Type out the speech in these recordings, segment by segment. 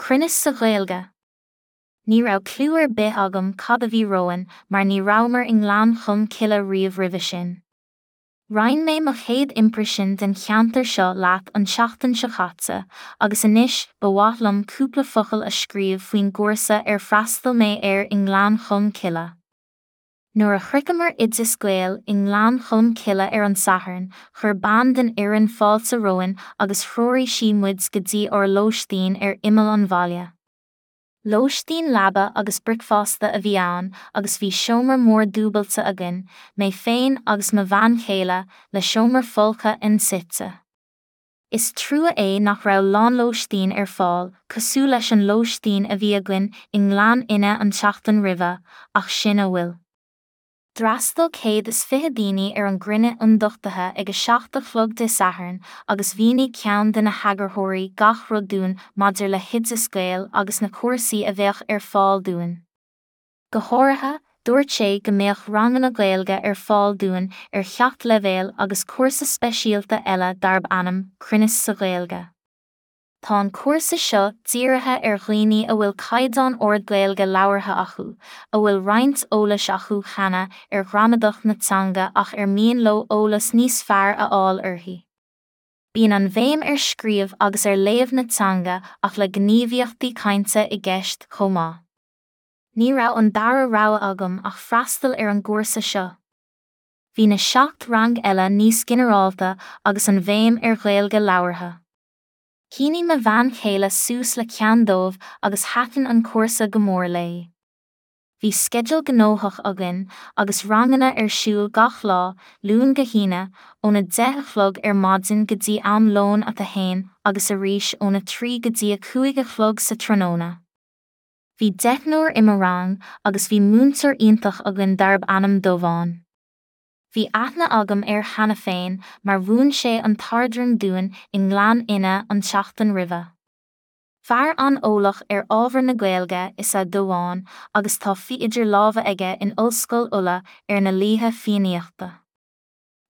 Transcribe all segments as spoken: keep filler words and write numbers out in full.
Cruinneas sa Ghaeilge. Ní raibh cliú ar bith agam cad a bhí romhainn mar ní rabhamar i nGleann Cholm Cille riamh roimhe sin. Roinn mé mo chéad imprisean den cheantar seo leat an tseachtain seo caite, agus anois ba mhaith liom cúpla focal a scríobh faoin gcúrsa ar fhreastail mé air i nGleann Cholm Cille. Nuair a shroicheamar Oideas Gael i nGleann Cholm Cille ar an Satharn, chuir bean den fhoireann fáilte romhainn agus threoraigh sí muid go dtí ár lóistín ar imeall an bhaile. Lóistín leaba agus bricfeasta a bhí ann agus bhí seomra mór dúbailte againn, mé féin agus mo bhean chéile, le seomra folctha en suite. Is trua é nach raibh lánlóistín ar fáil, cosúil leis an lóistín a bhí againn i nGleann Fhinne an tseachtain roimhe, ach sin a bhfuil. D'fhreastail céad is fiche daoine ar an gcruinniú ionduchtaithe ag a seacht a chlog Dé Sathairn agus mhínigh ceann de na heagarthóirí gach rud dúinn maidir le hOideas Gael agus na cúrsaí a bheadh ar fáil dúinn. Go háirithe, dúirt sé go mbeadh ranganna Gaeilge ar fáil dúinn ar sheacht leibhéal agus cúrsa speisialta eile darb ainm Cruinneas sa Ghaeilge. Tá an cúrsa seo dírithe ar dhaoine a bhfuil caighdeán ard Gaeilge labhartha acu, a bhfuil roinnt eolais acu cheana ar ghramadach na teanga ach ar mian leo eolas níos fearr a fháil uirthi. Bíonn an bhéim ar scríobh agus ar léamh na teanga ach le gníomhaíochtaí cainte i gceist chomh maith. Ní raibh an dara rogha agam ach freastal ar an gcúrsa seo. Bhí na seacht rang eile níos ginearálta agus an bhéim ar Ghaeilge labhartha. Shínigh mo bhean chéile suas le ceann dóibh agus thaitin an cúrsa go mór léi. Bhí sceideal gnóthach againn agus ranganna ar siúl gach lá, Luan go hAoine, óna deich a chlog ar maidin go dtí am lóin at a haon agus arís óna trí go dtí a cúig a chlog sa tráthnóna. Bhí deichniúr i mo rang agus bhí múinteoir iontach againn darb ainm Dubhán. Bhí aithne agam air cheana féin mar mhúin sé an t-ardrang dúinn i nGleann Fhinne an tseachtain roimhe. Fear an-eolach ar ábhar na Gaeilge is ea Dubhán agus tá faí idir lámha aige in Ollscoil Uladh ar na Laoithe Fiannaíochta.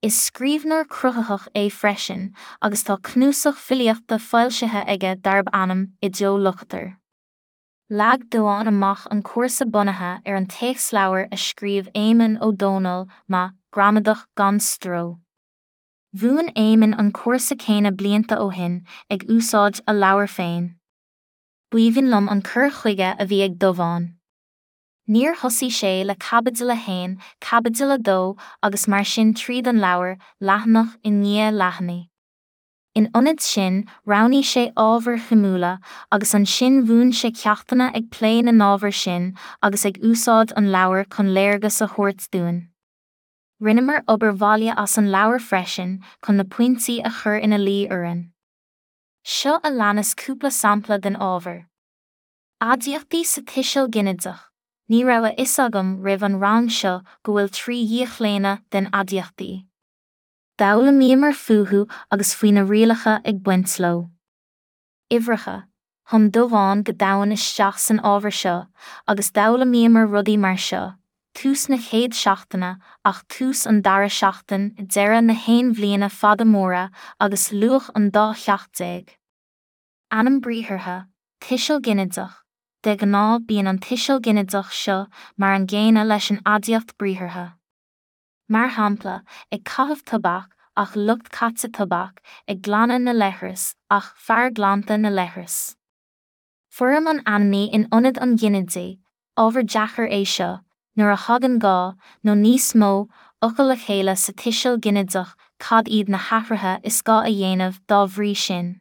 Is scríbhneoir cruthaitheach é freisin agus tá cnuasach filíochta foilsithe aige darb ainm Ideo Locator. Leag Dubhán amach an cúrsa bunaithe ar an téacsleabhar a scríobh Éamonn Ó Dónaill, Ma, Gramadach gan stró. Mhúin Éamonn an cúrsa céanna blianta ó shin, ag úsáid a leabhar féin. B'aoibhinn liom an cur chuige a bhí ag Dubhán. Níor thosaigh sé le caibidil a haon, caibidil a dó agus mar sin tríd an leabhar, leathanach i ndiaidh leathanaigh. In ionad sin, roghnaigh sé ábhair shuimiúla agus ansin mhúin sé ceachtanna ag plé na n-ábhar sin agus ag úsáid an leabhair chun léargas a thabhairt dúinn. Rinneamar obair bhaile as an leabhar freisin chun na pointí a chur ina luí orainn. Seo a leanas cúpla sampla den ábhar. Aidiachtaí sa tuiseal ginideach. Ní raibh a fhios agam roimh an rang seo go bhfuil trí dhíochlaonadh den aidiachtaí. D'fhoghlaimíomar fúthu agus faoi na rialacha ag baint leo. Uimhreacha. Thum Dubhán go domhain isteach san ábhar seo agus d'fhoghlaimíomar rudaí mar seo, tús na chéad seachtaine ach tús an dara seachtain, deireadh na haon bhliana fada móra agus luach an dá cheacht déag. Ainm briathartha, tuiseal ginideach. De ghnáth bíonn an tuiseal ginideach seo mar an gcéanna leis an aidiacht briathartha. Mar shampla, ag caitheamh tobac ach lucht caite tobac, ag glanadh na leithreas ach fear glanta na leithreas. Foirm an ainmní in ionad an ghinidigh, ábhar deacair é seo, nuair a thagann dhá, nó níos mó, fhocal le chéile sa tuiseal ginideach cad iad na hathruithe is gá a dhéanamh dá bhrí sin.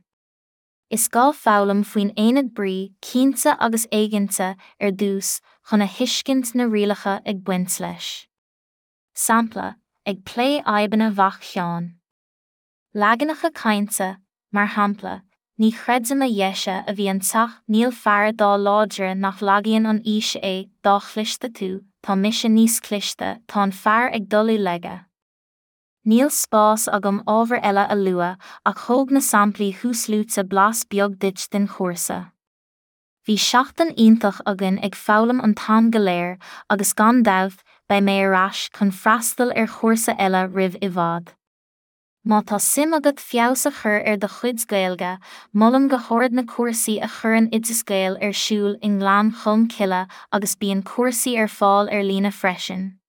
Is gá foghlaim faoin aonad brí, cinnte agus éiginnte, ar dtús, chun a thuiscint na rialacha ag baint leis. Sampla, ag plé fhadhbanna mhac Sheáin. Leaganacha cainte, mar shampla, ní chreidim a dheise a bhí an teach níl fear dá láidre nach lagaíonn an aois é, dá chliste tú, tá mise níos cliste, tá an fear ag dul i laige. Níl spás agam ábhar eile a lua ach thóg na samplaí thuasluaite blas beag duit den chúrsa. Bhí seachtain iontach againn ag foghlaim an t-am go léir agus gan dabht beidh mé ar ais chun freastal ar chúrsa eile roimh i bhfad. Má tá suim agat feabhas a chur ar do chuid Gaeilge, molaim go hard na cúrsaí a chuireann Oideas Gael ar siúl i nGleann Cholm Cille agus bíonn cúrsaí ar fáil ar líne freisin.